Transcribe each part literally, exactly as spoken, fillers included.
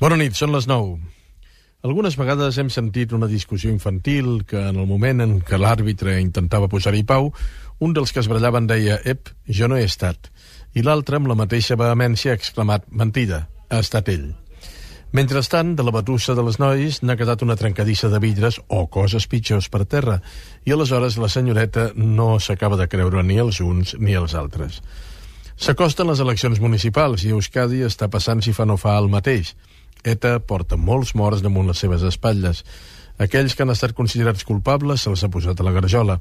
Bona nit, són les nou. Algunes vegades hem sentit una discussió infantil que en el moment en què l'àrbitre intentava posar-hi pau, un dels que es brallaven deia «Ep, jo no he estat», i l'altre amb la mateixa vehemència ha exclamat «Mentida, ha estat ell». Mentrestant, de la batussa de les nois n'ha quedat una trencadissa de vidres o coses pitjors per terra, i aleshores la senyoreta no s'acaba de creure ni els uns ni els altres. S'acosten les eleccions municipals i Euskadi està passant si fa no fa el mateix. ETA porta molts morts damunt les seves espatlles. Aquells que han estat considerats culpables se'ls ha posat a la garjola.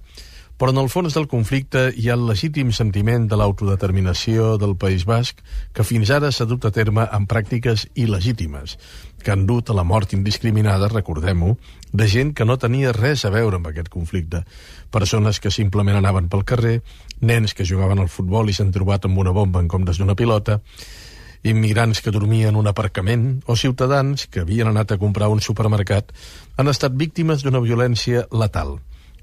Però en el fons del conflicte hi ha el legítim sentiment de l'autodeterminació del País Basc que fins ara s'ha dut a terme amb pràctiques il·legítimes, que han dut a la mort indiscriminada, recordem-ho, de gent que no tenia res a veure amb aquest conflicte. Persones que simplement anaven pel carrer, nens que jugaven al futbol i s'han trobat amb una bomba en comptes d'una pilota, immigrants que dormien en un aparcament o ciutadans que havien anat a comprar un supermercat han estat víctimes d'una violència letal.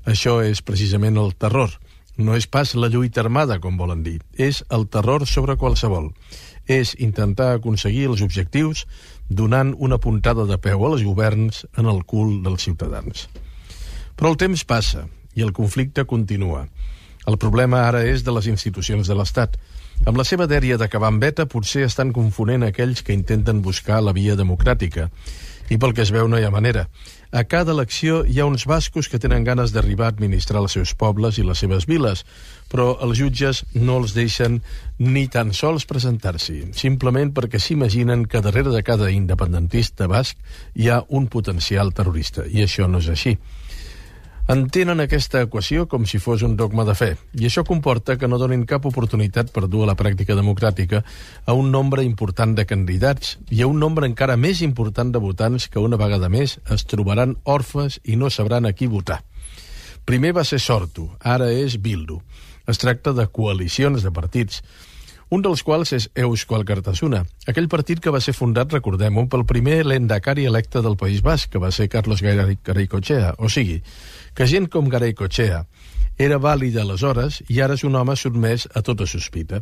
Això és precisament el terror. No és pas la lluita armada, com volen dir. És el terror sobre qualsevol. És intentar aconseguir els objectius donant una puntada de peu als governs en el cul dels ciutadans. Però el temps passa i el conflicte continua. El problema ara és de les institucions de l'Estat. Amb la seva dèria d'acabar amb ETA potser estan confonent aquells que intenten buscar la via democràtica. I pel que es veu no hi ha manera. A cada elecció hi ha uns bascos que tenen ganes d'arribar a administrar els seus pobles i les seves viles, però els jutges no els deixen ni tan sols presentar-s'hi, simplement perquè s'imaginen que darrere de cada independentista basc hi ha un potencial terrorista, i això no és així. Entenen aquesta equació com si fos un dogma de fe, i això comporta que no donin cap oportunitat per dur a la pràctica democràtica a un nombre important de candidats i a un nombre encara més important de votants que una vegada més es trobaran orfes i no sabran a qui votar. Primer va ser Sortu, ara és Bildu. Es tracta de coalicions de partits, un dels quals és Eusko Alkartasuna, aquell partit que va ser fundat, recordem-ho, pel primer lehendakari electe del País Basc, que va ser Carlos Garaikoetxea, o sigui, que gent com Garaikoetxea era vàlida aleshores i ara és un home sotmès a tota sospita.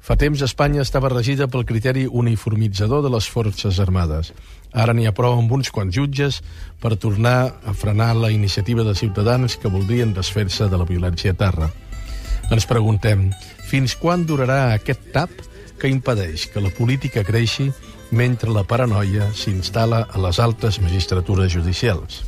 Fa temps Espanya estava regida pel criteri uniformitzador de les Forces Armades. Ara n'hi ha prou amb uns quants jutges per tornar a frenar la iniciativa de ciutadans que voldrien desfer-se de la violència a terra. Ens preguntem, fins quan durarà aquest tap que impedeix que la política creixi mentre la paranoia s'instal·la a les altes magistratures judicials?